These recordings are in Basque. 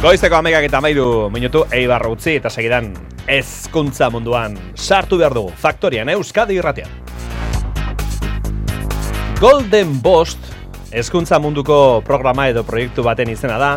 Goizeko 11:13 minutu Eibar utzi eta segidan hezkuntza munduan sartu behar dugu Faktorian Euskadi irratian. Golden Bost hezkuntza munduko programa edo proiektu baten izena da.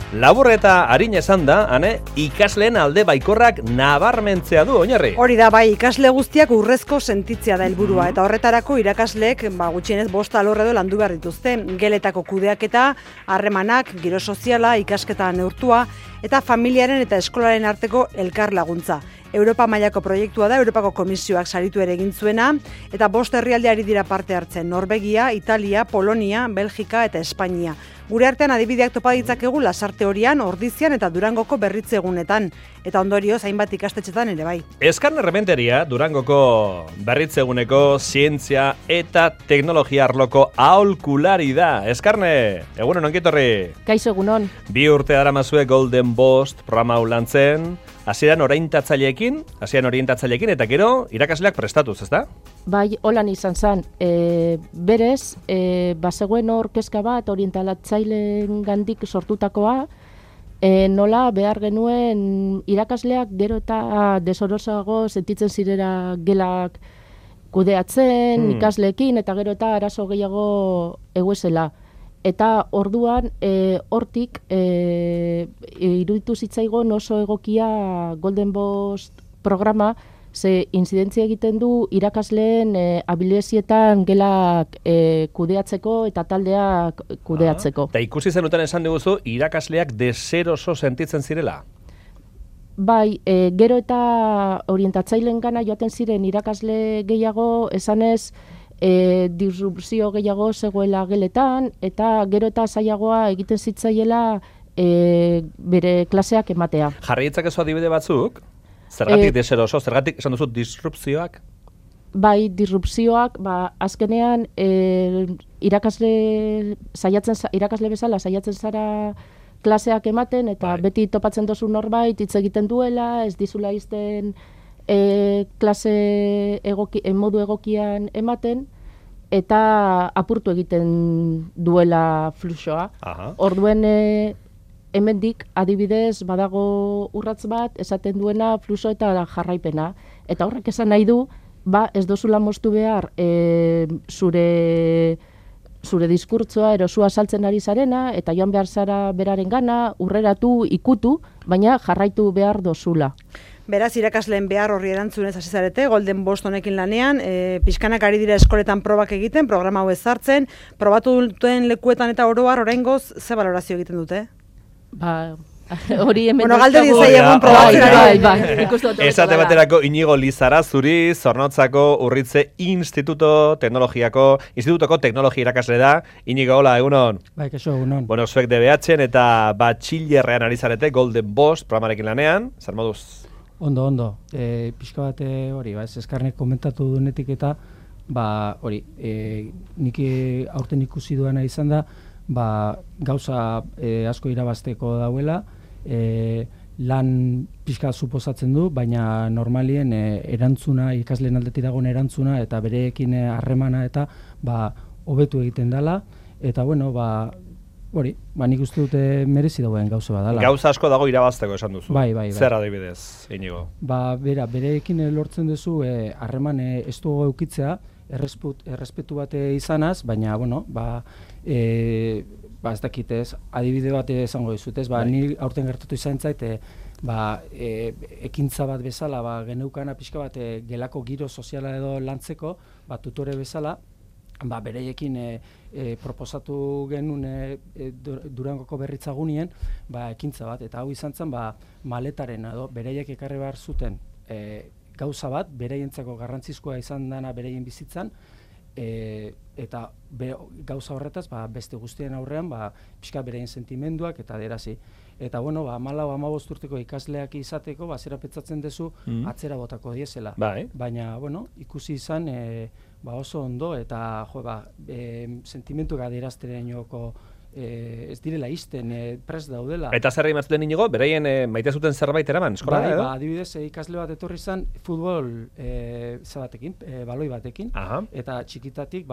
Labur eta arin esan da, ikasleen alde baikorrak nabarmentzea du oinarri. Hori da, bai, ikasle guztiak urrezko sentitzea da helburua eta horretarako irakasleek gutxienez 5 alor edo landu behar dituzte. Geletako kudeaketa, harremanak, giro soziala, ikasketa neurtua eta familiaren eta eskolaren arteko elkar laguntza. Europa mailako proiektua da, Europako Komisioak saritu ere egin zuena, eta 5 herrialde ari dira parte hartzen, Norvegia, Italia, Polonia, Belgika eta Espainia. Gure artean adibideak topa ditzakegu Lasarte Horian, Ordizian eta Durangoko berritze egunetan, eta ondorioz hainbat ikastetxetan ere bai. Eskarne Rementeria, Durangoko berritze eguneko zientzia eta teknologia arloko aholkulari da. Eskarne, egunon onkitorri. Kaixo egunon. 2 urte daramazue Golden Bost programa hau lantzen, hasieran orientatzaileekin eta gero irakasleak prestatuz, ezta? Bai, holan izan zen. Berez, bazegoen hor kezka bat orientalatzaileen gandik sortutakoa, nola behar genuen irakasleak gero eta desorosago sentitzen zirera gelak kudeatzen, ikasleekin eta gero eta arazo gehiago eguezela. Eta orduan hortik iruditu zitzaigon oso egokia Golden Bost programa, ze inzidentzia egiten du irakasleen abilezietan gelak kudeatzeko eta taldeak kudeatzeko. Eta ikusi zenuten esan diguzu, irakasleak deseroso sentitzen zirela? Bai, gero eta orientatzaileen gana joaten ziren irakasle gehiago, esanez, disrupzio gehiago zegoela geletan, eta gero eta zailagoa egiten zitzaiela bere klaseak ematea. Jarri ditzakezu adibide batzuk? Zergatik deseroso, zergatik esan duzu disrupzioak? Bai, disrupzioak, azkenean irakasle bezala saiatzen zara klaseak ematen, eta beti topatzen dozu norbait hitz egiten duela, ez dizula izten klase modu egokian ematen, eta apurtu egiten duela fluxoa. Orduen hemendik adibidez badago urratz bat esaten duena fluxo eta jarraipena. Eta horrek esan nahi du, ez dozula moztu behar zure diskurtzoa erosua saltzen ari zarena, eta joan behar zara beraren gana, urreratu, ikutu, baina jarraitu behar dozula. Beraz, irakasleen behar horri erantzunez hasi zarete, Golden Bost honekin lanean, pixkanak ari dira eskoletan probak egiten, programa hau ezartzen, probatu duten lekuetan eta oroar oraingoz ze balorazio egiten dute? Hori hemen... Bueno, galderi zaiegun probatzen ari. Esate baterako Inigo Lizarazuri, Zornotzako Urritze Institutoko teknologia irakasle da. Inigo, hola, egunon. Bai, kaixo, egunon. Bueno, zuek DBH-en eta batxillerrean ari zarete Golden Bost programarekin lanean, zer moduz? Ondo. Pixka bat hori, Eskarnek komentatu duenetik eta hori, nik aurten ikusi duena izan da, gauza asko irabazteko dauela, lan pixka suposatzen du, baina normalien erantzuna, ikasleen aldetik dagoen erantzuna eta bereekin harremana eta hobetu egiten dela, eta bueno, hori, nik uste dute merezi dagoen gauza bat dela. Gauza asko dago irabazteko esan duzu. Bai. Zer adibidez, Inigo? Bereekin lortzen duzu harreman estu eukitzea, errespetu bat izanaz, baina, bueno, ez dakitez, adibide bat esango dizut, ni aurten gertatu izan zait, ekintza bat bezala, geneukana pixka bat gelako giro soziala edo lantzeko, tutore bezala, bereiekin proposatu genuen Durangoko berritzagunien, ekintza bat, eta hau izan zen, maletaren edo bereiek ekarri behar zuten gauza bat, bereientzako garrantzizkoa izan dena bereien bizitzan, eta gauza horretaz, beste guztien aurrean, pixka bereien sentimenduak eta aderazi. Eta, bueno, 14-15 urteko ikasleak izateko, zera petzatzen duzu, atzera botako diesela. Baina, bueno, ikusi izan, oso ondo, eta, sentimentuak adierazteren joko ez direla izten, prest daudela. Eta zer egin zuten Inigo, beraien maite zuten zerbait eraman, eskola? Adibidez, ikasle bat etorri izan futbol baloi batekin, eta txikitatik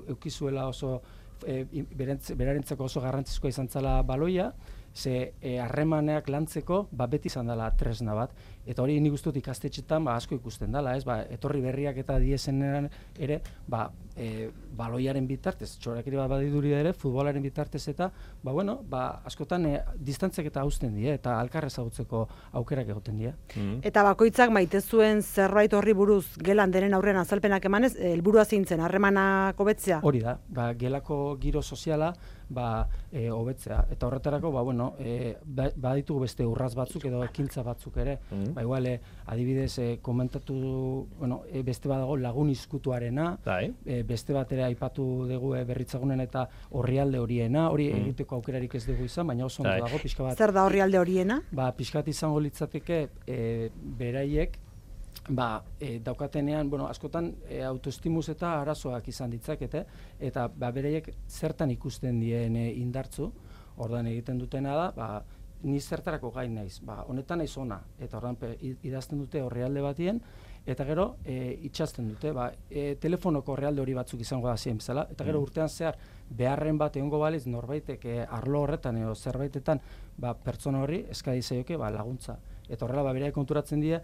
eukizuela oso berarentzako oso garrantzizkoa izan zela baloia, ze harremaneak lantzeko beti izan dela tresna bat, eta hori nik uste dut ikastetxetan asko ikusten dela, ez, etorri berriak eta diesenean ere, baloiaren bitartez, txorakeri bat badiduri ere, futbolaren bitartez eta, askotan distantziak eta hausten die, eta alkarra ezagutzeko aukerak egoten die. Eta bakoitzak maite zuen zerbait horri buruz gelan denen aurrean azalpenak emanez, helburua zintzen, harremanak hobetzea? Hori da, gelako giro soziala hobetzea. Eta horretarako, baditugu beste urraz batzuk edo ekintza batzuk ere. Igual, adibidez, komentatu, beste badago lagun izkutuarena, beste bat ere aipatu dugu berritzagunen eta orrialde horiena, hori egiteko aukerarik ez dugu izan, baina oso ondo dago, pixka bat. Zer da orrialde horiena? Pixka bat izango litzateke beraiek, daukatenean, askotan autoestimuz eta arazoak izan ditzakete, eta beraiek zertan ikusten dien indartzu, ordan egiten dutena da, ni zertarako gain naiz, honetan naiz ona, eta ordan idazten dute orrialde batien, eta gero itxasten dute, telefonoko orrialde hori batzuk izango da zien bezala, eta gero urtean zehar beharren bat egongo baliz norbaitek arlo horretan edo zerbaitetan pertsona horri eskadi zaioke laguntza. Eta horrela beraiek konturatzen die,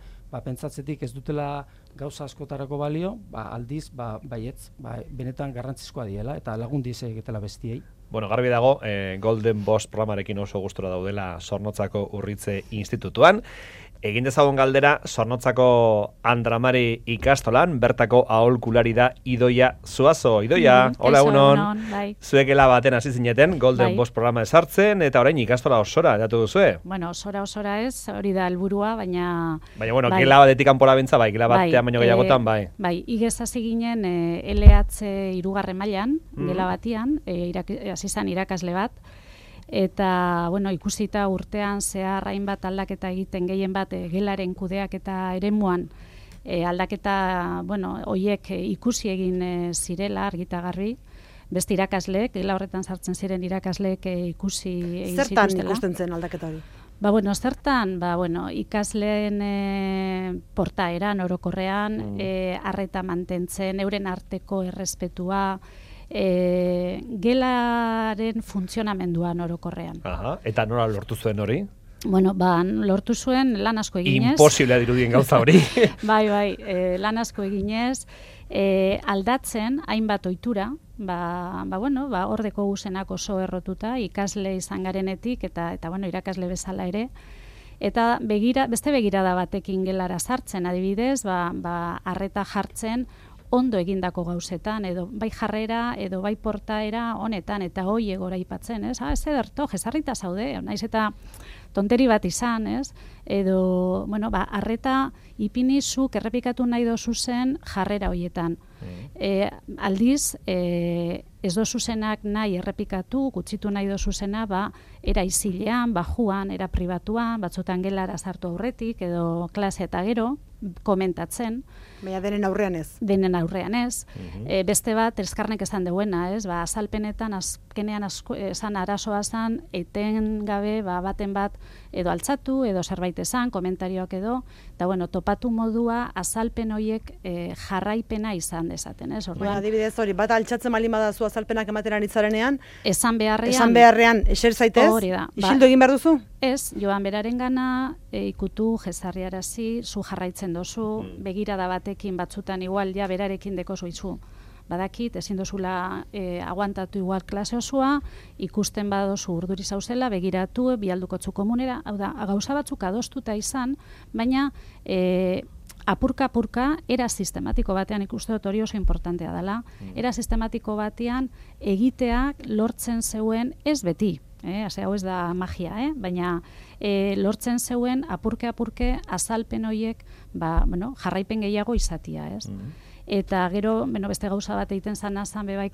pentsatzetik ez dutela gauza askotarako balio, aldiz, baietz, benetan garrantzizkoa diela, eta lagun dize egitela bestiei. Bueno, garbi dago, Golden Boss programarekin oso gustura daudela Zornotzako Urritze Institutuan. Egin dezagun galdera, Zornotzako Andramari ikastolan, bertako aholkulari da Idoia Zuazo. Idoia, hola egunon. Zuekela baten hasi zineten, Golden Boss programa esartzen, eta orain ikastola osora, edatu duzue? Bueno, osora ez, hori da helburua, baina... Baina, gela batetik kanpora bentza, gela batean baino gehiagotan, bai. Bai, igez hasi ginen LH 3. mailan, gela batian, hasi zan irakasle bat, eta, ikusita urtean zehar hainbat aldaketa egiten gehien bat gelaren kudeak eta eremuan aldaketa, hoiek ikusi egin zirela argita garbi, beste irakasleek, gela horretan sartzen ziren irakasleek ikusi egin zituztela. Zertan ikusten zen aldaketa hori? Zertan, ikasleen portaeran, orokorrean, arreta mantentzen, euren arteko errespetua, gelaren funtzionamenduan orokorrean. Eta nola lortu zuen hori? Lortu zuen lan asko eginez. Imposiblea dirudien gauza hori. Bai, lan asko eginez, aldatzen hainbat ohitura, hordeko guzenak oso errotuta, ikasle izan garenetik, eta irakasle bezala ere, eta beste begirada batekin gelara sartzen, adibidez, arreta jartzen, ondo egindako gauzetan, edo bai jarrera, edo bai portaera honetan, eta hoi egora ipatzen, ez? Ez ederto, jesarrita zaude, naiz eta tonteri bat izan, ez? Edo, arreta ipinizuk errepikatu nahi dozu zen jarrera hoietan. Aldiz, ez dozu zenak nahi errepikatu, gutxitu nahi dozu zena, era izilean, bajuan, era pribatuan, batzutan gelara sartu aurretik, edo klase eta gero, komentatzen. Baina denen aurrean ez. Denen aurrean ez. Beste bat, eskarnek esan deuena, ez? Azalpenetan, azkenean esan arazoa zan, eten gabe, baten bat, edo altzatu, edo zerbait esan, komentarioak edo, eta topatu modua, azalpen horiek jarraipena izan dezaten, ez? Adibidez hori, bat altzatzen malin badazu azalpenak emateran itzarenean, esan beharrean, eser zaitez, hori da. Isildu egin behar duzu? Ez, joan beraren gana, ikutu, jezarriarazi, zu jarraitzen dozu, begirada batekin batzutan igual, berarekin dekozu izu. Badakit, ezin dozula aguantatu igual klase osoa, ikusten badozu urduri zauzela, begiratu, bialdukotzu komunera, hau da, gauza batzuk adostuta izan, baina apurka-apurka, era sistematiko batean ikuste dut hori oso importantea dela, era sistematiko batean egiteak lortzen zeuen ez beti, hau ez da magia, baina lortzen zeuen apurke azalpen horiek jarraipen gehiago izatia, ez? Eta gero, beste gauza bat egiten zan bebai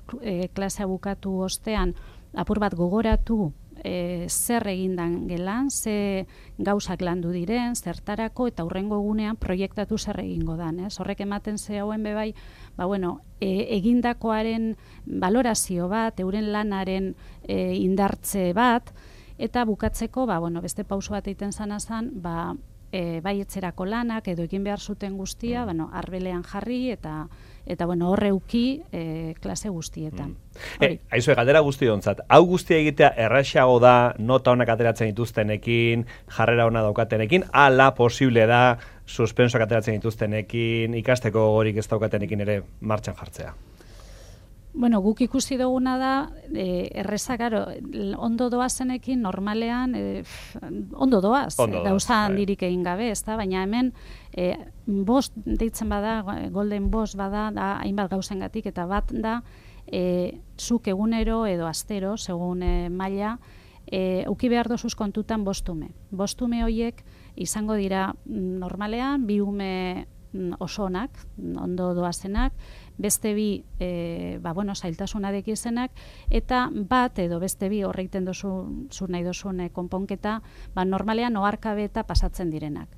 klasea bukatu ostean, apur bat gogoratu zer egindan gelan, ze gauzak landu diren, zertarako, eta hurrengo egunean proiektatu zer egingo dan, ez? Horrek ematen ze hauen bebai, egindakoaren valorazio bat, euren lanaren indartze bat, eta bukatzeko, beste pauso bat egiten zan, bai etzerako lanak edo egin behar zuten guztia, arbelean jarri eta horre uki klase guztietan. Aizue, galdera guztiontzat, hau guztia egitea erraxago da nota honak ateratzen dituztenekin, jarrera ona daukatenekin, ala posible da suspensoak ateratzen dituztenekin, ikasteko gorik ez daukatenekin ere martxan jartzea? Bueno, guk ikusi duguna da, erreza, ondo doazenekin normalean, ondo doaz, gauza handirik egin gabe, ezta? Baina hemen, bost deitzen bada, golden bost bada, da hainbat gauzengatik, eta bat da, zuk egunero edo astero, segun maila, uki behar dozuz kontutan bostume. Bostume horiek izango dira normalean, bi ume oso onak, ondo doazenak, beste bi zailtasunak izenak, eta bat edo beste bi horreiten zu nahi dozun konponketa, normalean oharkabe eta pasatzen direnak.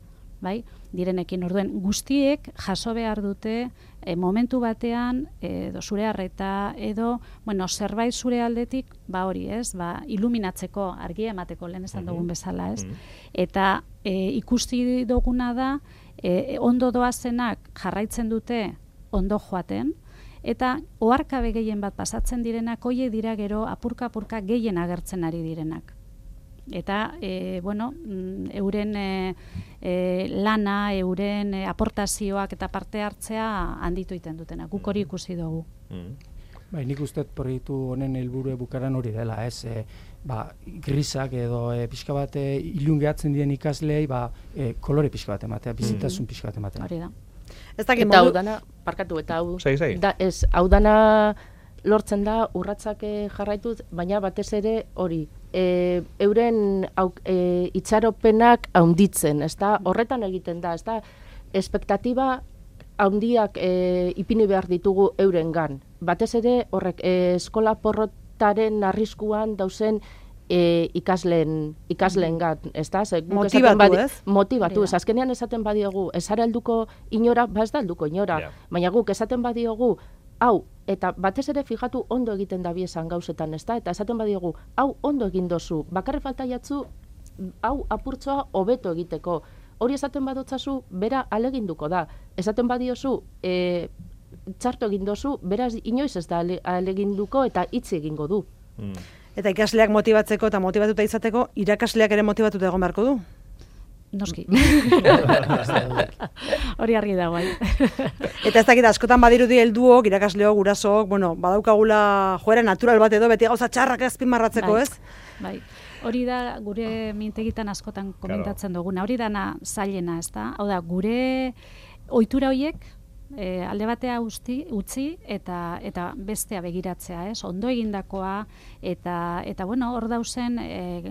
Bai? Direnekin orduen guztiek jaso behar dute momentu batean edo zure harreta edo zerbait zure aldetik hori ez, iluminatzeko argia emateko lehen esan dugun bezala ez. Eta ikusti duguna da ondo doazenak jarraitzen dute ondo joaten, eta oharkabe gehien bat pasatzen direnak hoiek dira gero apurka-apurka gehien agertzen ari direnak. Eta, euren lana, euren aportazioak eta parte hartzea handitu egiten dutena. Guk hori ikusi dugu. Nik uste proiektu honen helburu bukaran hori dela, ez? Grisak edo pixka bat ilungeatzen dien ikasleei kolore pixka bat ematea, bizitasun pixka bat ematea. Hori da. Eta hau dana, parkatu, eta hau dana lortzen da urratsak jarraituz, baina batez ere hori, euren itxaropenak haunditzen, ezta? Horretan egiten da, ezta? Espektatiba haundiak ipini behar ditugu eurengan. Batez ere horrek eskola porrotaren arriskuan dauzen ikasleengan, ezta? Motibatu, ez? Motibatu, ez. Azkenean esaten badiogu, ez ara helduko inora, ez da helduko inora, baina guk esaten badiogu, hau, eta batez ere fijatu ondo egiten da biesan gauzetan, ezta? Eta esaten badiogu, hau ondo egin dozu, bakarre falta jatzu, hau apurtzoa hobeto egiteko. Hori esaten badotzazu, bera aleginduko da. Esaten badiozu, txarto egin dozu, beraz inoiz ez da aleginduko eta hitz egingo du. Eta ikasleak motibatzeko eta motibatuta izateko, irakasleak ere motibatuta egon beharko du? Noski. Hori argi da, bai. Eta ez dakit, askotan badirudi helduok, irakasleok, gurasook, badaukagula joera natural bat edo, beti gauza txarrak azpimarratzeko, ez? Bai. Hori da gure mintegitan askotan komentatzen duguna. Hori dana zailena, ez da? Hau da, gure ohitura horiek alde batea utzi eta bestea begiratzea, ez? Ondo egindakoa eta hor dauzen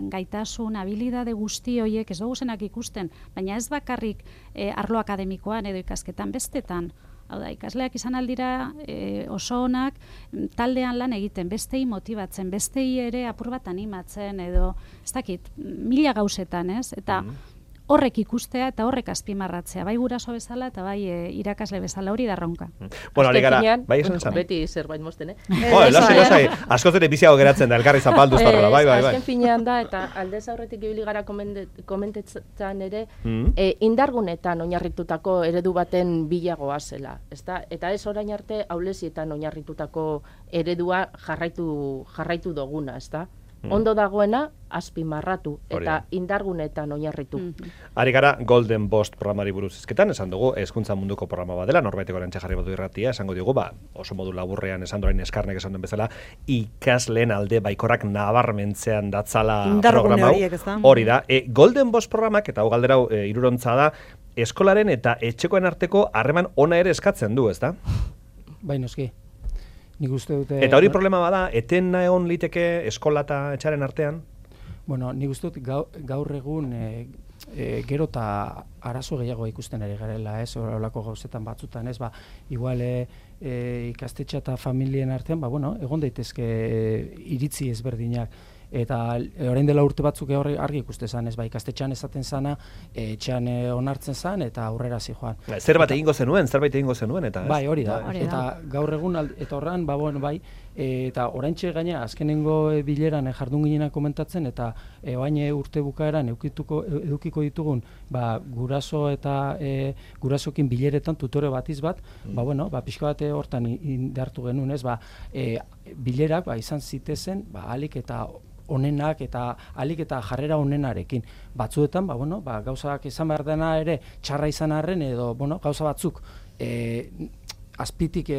gaitasun, habilidade guzti horiek ez duguzenak ikusten, baina ez bakarrik arlo akademikoan edo ikasketan bestetan. Hau da, ikasleak izan aldira oso onak taldean lan egiten, bestei motibatzen, bestei ere apur bat animatzen edo, ez dakit, mila gauzetan, ez? Eta horrek ikustea eta horrek azpimarratzea, bai guraso bezala eta bai irakasle bezala, hori da ronka. Bueno, alikara, bai esan zan. Beti zerbait mozten, Lasai, askoz ere biziago geratzen da, elkarri zapalduz tarrela, bai. Azken finean da, eta aldez aurretik ibili gara komentetzen ere, indargunetan oinarritutako eredu baten bilagoa zela, ezta? Eta ez orain arte aulesietan oinarritutako eredua jarraitu duguna, ezta? Ondo dagoena azpimarratu eta indargunetan oinarritu. Ari gara Golden Bost programari buruz hizketan, esan dugu hezkuntza munduko programa bat dela, norbaiteko orantxe jarri badu irratia, esango diogu, oso modu laburrean esan dorain eskarnek esan duen bezala, ikasleen alde baikorrak nabarmentzean datzala programa hau. Hori da, Golden Bost programak, eta hau galdera hirurontza da, eskolaren eta etxekoen arteko harreman ona ere eskatzen du, ezta? Bai, noski. Nik uste dute... Eta hori problema bada, etena egon liteke eskola eta etxaren artean? Bueno, nik uste dut gaur egun gero eta arazo gehiago ikusten ari garela, ez? Horrelako gauzetan batzutan, ez? Igual ikastetxa eta familien artean, egon daitezke iritzi ezberdinak. Eta orain dela urte batzuk argi ikuste zan, ez ikastetxean esaten zana, etxean onartzen zan eta aurrera zijoan. Zerbait egingo zenuen, eta ez? Bai, hori da. Eta gaur egun, eta horren, Eta oraintxe gaina azkenengo bileran jardun ginenak komentatzen, eta baina urte bukaeran edukiko ditugun guraso eta gurasokin bileretan tutore batiz bat, pixka bat hortan indartu genuen, bilerak izan zitezen ahalik eta onenak eta alik eta jarrera onenarekin. Batzuetan, gauzak izan behar dena ere txarra izan arren edo, gauza batzuk azpitik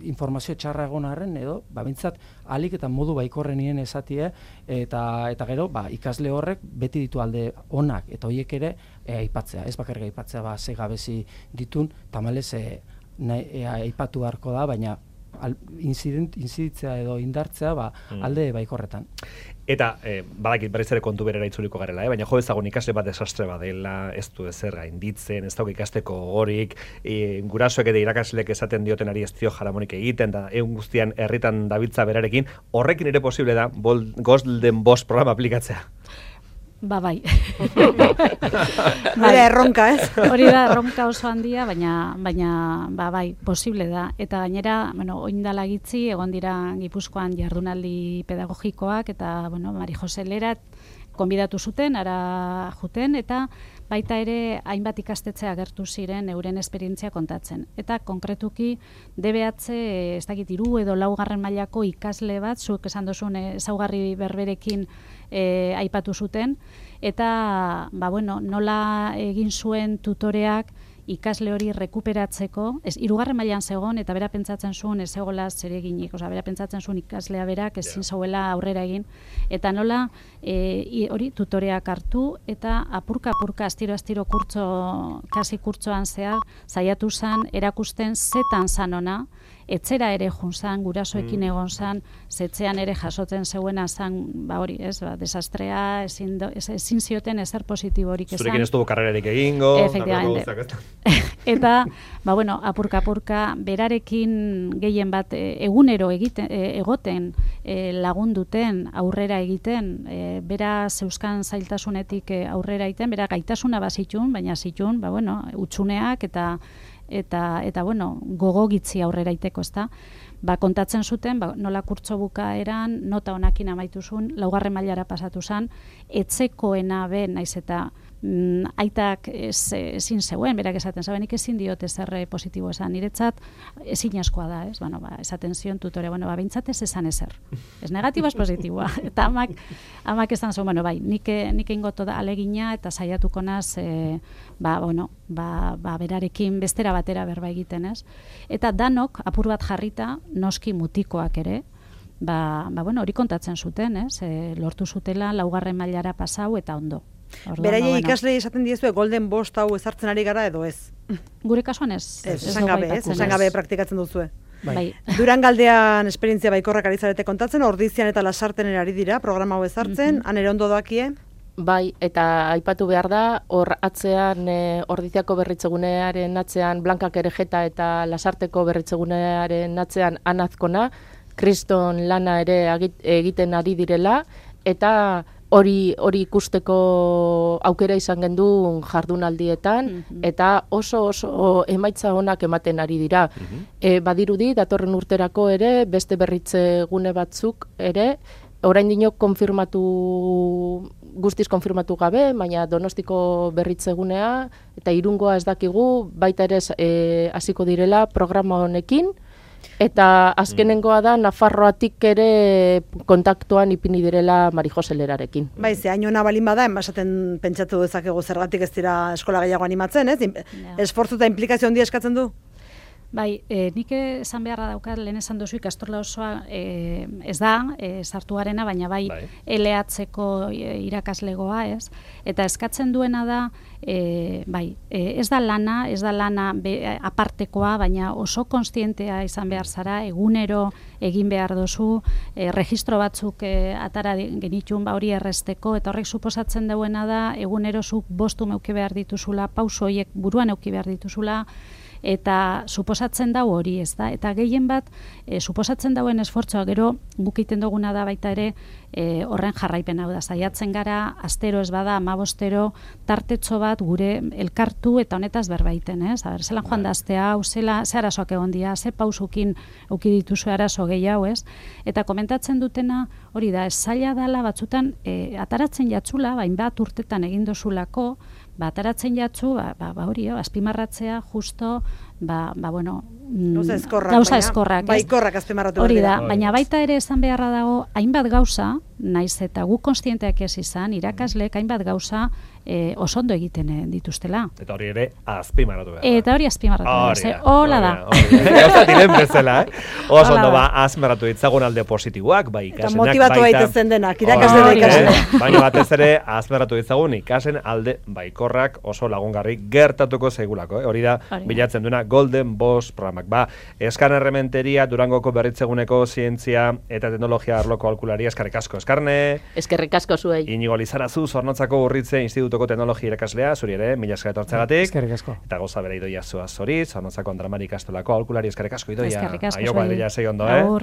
informazio txarra egon arren edo, bintzat alik eta modu baikorrenien esatie eta gero, ikasle horrek beti ditu alde onak eta horiek ere aipatzea. Ez bakarrik aipatzea, ze gabezi ditun, tamalez aipatu beharko da, baina inziditzea edo indartzea alde baikorretan. Eta, badakit berriz ere kontu berera itzuliko garela, baina jo ezagun ikasle bat desastre badela, ez du ezer gainditzen, ez dago ikasteko gogorik, gurasoek eta irakaslek esaten diotenari ez dio jaramonik egiten, da egun guztian herritan dabiltza berarekin, horrekin ere posible da Golden Boss programa aplikatzea. Bai. Erronka, ez? Hori da, erronka oso handia, baina bai, posible da. Eta gainera, oindala gitzi, egon dira Gipuzkoan jardunaldi pedagogikoak, eta, Mari Jose Lerat konbidatu zuten, ara juten, eta baita ere hainbat ikastetxe agertu ziren euren esperientzia kontatzen. Eta konkretuki DBH, ez dakit 3 edo 4 mailako ikasle bat, zuk esan duzun ezaugarri berberekin aipatu zuten, eta nola egin zuen tutoreak ikasle hori rekuperatzeko, 3. mailan zegoen, eta bera pentsatzen zuen ez zegoela zereginik, bera pentsatzen zuen ikaslea berak ezin zauela aurrera egin, eta nola hori tutoreak hartu, eta apurka astiro kasi kurtsoan zehar, saiatu zan erakusten zetan zan ona, etzera ere junzan, gurasoekin egon zan, zetzean ere jasotzen zeuena zan, hori, desastrea, ezin zioten ezer positiborik esan. Zurekin ez dugu karrerarik egingo, efectivamente. Eta, apurka, berarekin gehien bat egunero egoten lagunduten, aurrera egiten, bera zeuskan zailtasunetik aurrera egiten, bera gaitasuna bazitun, baina zitun, utxuneak eta gogo gitzi aurrera iteko, ezta? Kontatzen zuten, nola kurtso bukaeran, nota honakin amaitu zuen, 4. mailara pasatu zen, etzekoena naiz eta aitak ezin zeuen, berak esaten zaben, nik ezin diot ezer positibo esan, niretzat ezin askoa da, ez? Esaten zion tutore, bintzat ez esan ezer. Ez negatibo, ez positiboa. Eta amak esan zuen, bai, nik ingoto da alegina eta saiatuko naz, berarekin bestera batera berba egiten, ez? Eta danok, apur bat jarrita, noski mutikoak ere, hori kontatzen zuten, ez? Lortu zutela 4. mailara pasau eta ondo. Beraie ikaslei esaten diezue Golden Boss hau ezartzen ari gara edo ez? Gure kasuan ez. Esan gabe praktikatzen duzue. Durangaldean esperientzia baikorrak ari zarete kontatzen, Ordizian eta Lasarten ari dira programa hau ezartzen, han ere ondo doakie? Bai, eta aipatu behar da, hor atzean Ordiziako berritzegunearen atzean Blankak Erejeta eta Lasarteko berritzegunearen atzean Anazkona, kriston lana ere egiten ari direla, eta hori ikusteko aukera izan gendun jardunaldietan, eta oso emaitza onak ematen ari dira. Badirudi, datorren urterako ere, beste berritze gune batzuk ere, orain dinok guztiz konfirmatu gabe, baina Donostiko berritzegunea, eta Irungoa ez dakigu, baita ere hasiko direla programa honekin, eta azkenengoa da Nafarroatik ere kontaktuan ipini direla Mari Jose Lerarekin. Bai, ze hainona balin bada, enbasaten pentsatu dezakegu zergatik ez dira eskola gehiago animatzen, ez? Esfortzu eta implikazio handia eskatzen du? Bai, nik esan beharra daukat, lehen esan duzu ikastorla osoa ez da, sartu garena, baina bai LH-ko irakaslegoa, ez? Eta eskatzen duena da, ez da lana apartekoa, baina oso konstientea izan behar zara, egunero egin behar duzu, registro batzuk atara genitun hori erresteko, eta horrek suposatzen duena da, egunero zuk bostu meuki behar dituzula, pauso horiek buruan euki behar dituzula, eta suposatzen dau hori, ez da? Eta gehien bat, suposatzen dauen esfortzua, gero guk egiten duguna da baita ere, horren jarraipen hau da, saiatzen gara, astero ez bada, 15 tartetxo bat gure elkartu eta honetaz berbaiten, ez? Zelan joan da astea hau, ze arazoak egon dira, ze pausukin eduki dituzu arazo gehiago, ez? Eta komentatzen dutena, hori da, ez zaila dela batzutan, ataratzen jatzula, hainbat urtetan egin dozulako, ataratzen jatzu, hori, azpimarratzea, justo, bueno, gauza eskorrak, baikorrak azpimarratu hori da, baina baita ere esan beharra dago, hainbat gauza, naiz eta guk konstienteak ez izan, irakasleek hainbat gauza oso ondo egiten dituztela. Eta hori ere azpimarratu behar. Eta hori azpimarratu behar. Hola da. Gauza diren bezala, oso ondo azpimarratu ditzagun alde positiboak, bai ikasenak. Eta motibatu daitezen denak, irakasle da ikasle. Baina batez ere azpimarratu ditzagun ikasen alde baikorrak oso lagungarri gertatuko zaigulako. Hori da, bilatzen duena Golden Boss programak. Eskan Errementeria, Durangoko Berritzeguneko Zientzia eta Teknologia arloko aholkularia, eskerrik asko Eskarne. Eskerrik asko zuei. Inigo Lizarazu, Zornotzako Urritze Institutuko Teknologia irakaslea, zuri ere, mila esker etortzeagatik. Eskerrik asko. Eta gauza bera Idoia Zuaz zori, Zornotzako Andramari Ikastolako aholkulari, eskerrik asko Idoia. Eskerrik asko zuei. Aio,